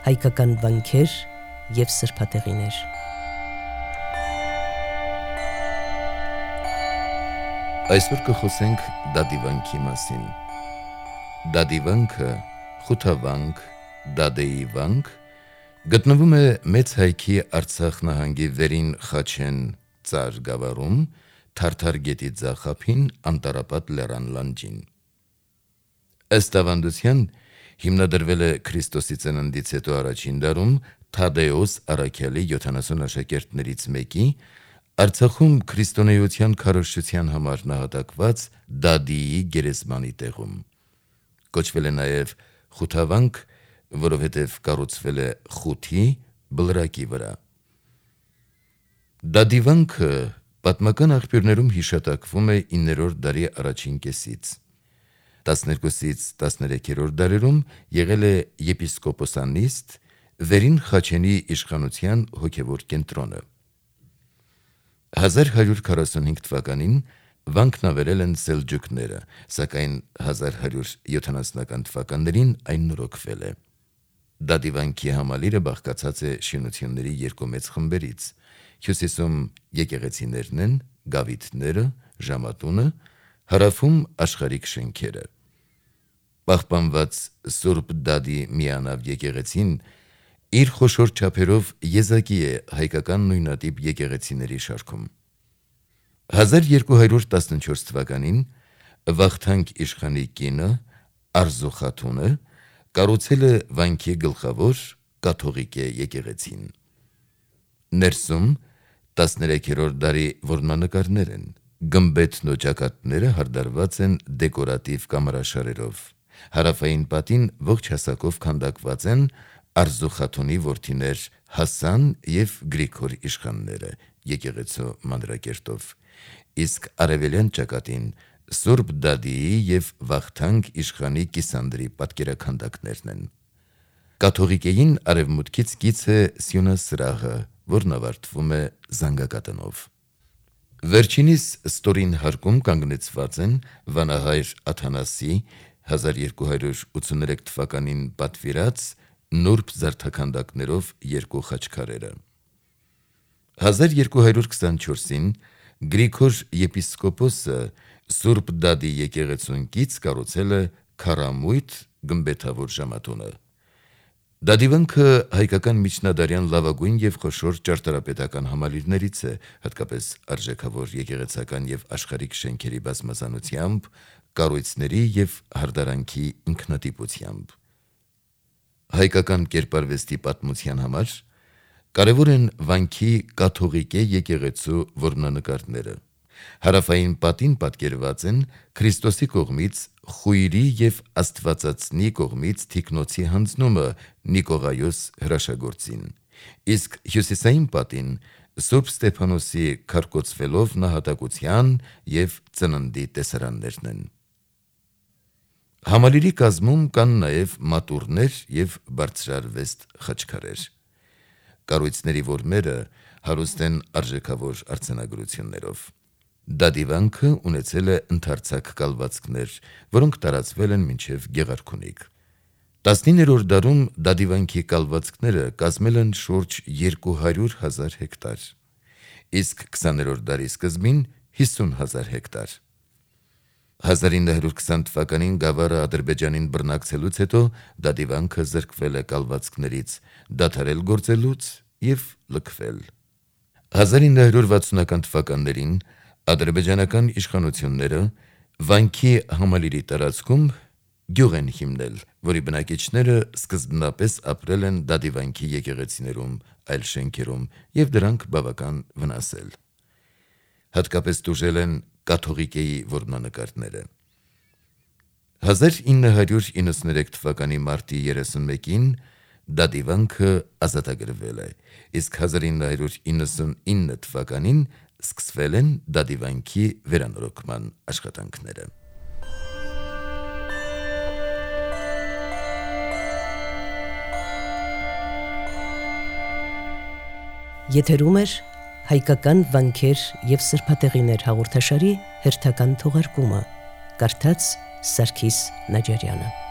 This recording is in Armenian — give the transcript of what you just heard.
հայկական վանքեր և սրբատեղիներ։ Այսօր կխոսենք դադիվանքի մասին։ Դադիվանքը, խութավանք, դադեի վանք, գտնվում է Մեծ Հայքի Արցախ նահանգի Վերին Խաչեն ծար գավառում, Թարթար գետի ձախափին Անտառապատ լեռան լանջին։ Ըստ ավանդության հիմնադրվել է Քրիստոսի ծննդից հետո առաջին դարում Թադեոս առաքյալի 70 աշակերտներից մեկի Արցախում քրիստոնեության քարոզչության համար նահատակված Դադիի գերեզմանի տեղում։ Կոչվել է նաև խութավանք, որովհետև կառուցվել է խութի բլրակի վրա։ Դադիվանքը պատմական աղբյուրներում հիշատակվում է 9-րդ դարի առաջին կեսից։ 12-ից 13-րդ դարերում եղել է եպիսկոպոսանիստ, Վերին Խաչենի իշխանության հոգևոր կենտրոնը։ 1145 թվականին վանքն ավերել են սելջուկները, սակայն 1170 թվականներին այն նորոգվել է։ Դադիվանքի համալիրը բաղկացած է շինությունների երկու մեծ խմբերից։ Հյուսիսում եկեղեցիներն են, գավիթները, ժամատունը, հարավում աշխարհիկ շենքերը։ Պահպանված Սուրբ Դադի միանավ եկեղեցին իր խոշոր չափերով եզակի է հայկական նույնատիպ եկեղեցիների շարքում։ 1214 թվականին Վախթանգ իշխանի կինը Արզու խաթունը կառուցել է վանքի գլխավոր կաթողիկե եկեղեցին։ Ներսում 13-րդ դարի որմնանկարներ են։ Գմբեթն ու ճակատները հարդարված են դեկորատիվ կամարաշարերով։ Հարավային պատին ողջ հասակով քանդակված են Արզու խաթունի որդիներ Հասան և Գրիգոր իշխանները եկեղեցու մանրակերտով, իսկ արևելյան ճակատին Սուրբ Դադիի և Վախթանգ իշխանի կիսանդրի պատկերաքանդակներն են։ Կաթողիկեին արևմուտքից կից է սյունասրահը, որն ավարտվում է զանգակատնով։ Վերջինիս ստորին հարկում կանգնեցված են վանահայր Աթանասի 1283 թվականին պատվիրած նուրբ զարդաքանդակներով երկու խաչքարերը։ 1224-ին Գրիգոր եպիսկոպոսը Սուրբ Դադի եկեղեցուն կից կառուցել է քառամույթ գմբեթավոր ժամատունը։ Դադիվանքը հայկական միջնադարյան լավագույն և խոշոր ճարտարապետական համալիրներից է, հատկապես արժեքավոր եկեղեցական և աշխարհիկ շենքերի բազմազանությամբ, կառույցների և հարդարանքի ինքնատիպությամբ։ Հայկական կերպարվեստի պատմության համար կարևոր են վանքի կաթողիկե եկեղեցու որմնանկարները։ Հարավային պատին պատկերված են Քրիստոսի կողմից խույրի և Աստվածածնի կողմից թիկնոցի հանձնումը Նիկողայոս հրաշագործին, իսկ հյուսիսային պատին Սուրբ Ստեփանոսի քարկոծվելով նահատակության և ծննդի տեսարաններն են։ Համալիրի կազմում կան նաև մատուռներ և բարձրարվեստ խաչքարեր։ Կառույցների որմները հարուստ են արժեքավոր արձանագրություններով։ Դադիվանքը ունեցել է ընդարձակ կալվածքներ, որոնք տարածվել են մինչև Գեղարքունիք։ 19-րդ դարում Դադիվանքի կալվածքները կազմել են շուրջ 200,000 հեկտար, իսկ 20-րդ դարի սկզբին 50,000 հեկտար։ 1920 թվականին գավառը Ադրբեջանին բռնակցելուց հետո Դադիվանքը զրկվել է կալվածքներից, դադարել գործելուց և լքվել։ 1960-ական թվականներին ադրբեջանական իշխանությունները վանքի համալիրի տարածքում գյուղ են հիմնել, որի բնակիչները սկզբնապես ապրել են Դադիվանքի եկեղեցիներում, այլ շենքերում և դրանք բավական վնասել։ Հատկապես տուժել են կաթողիկեի որմնանկարները։ 1993 թվականի մարտի 31-ին Դադիվանքը ազատագրվել է, իսկ 1999 թվականին սկսվել են Դադիվանքի վերանորոգման աշխատանքները։ Եթերում էր հայկական վանքեր և սրբատեղիներ հաղորդաշարի հերթական թողարկումը, կարդաց Սարգիս Նաջարյանը։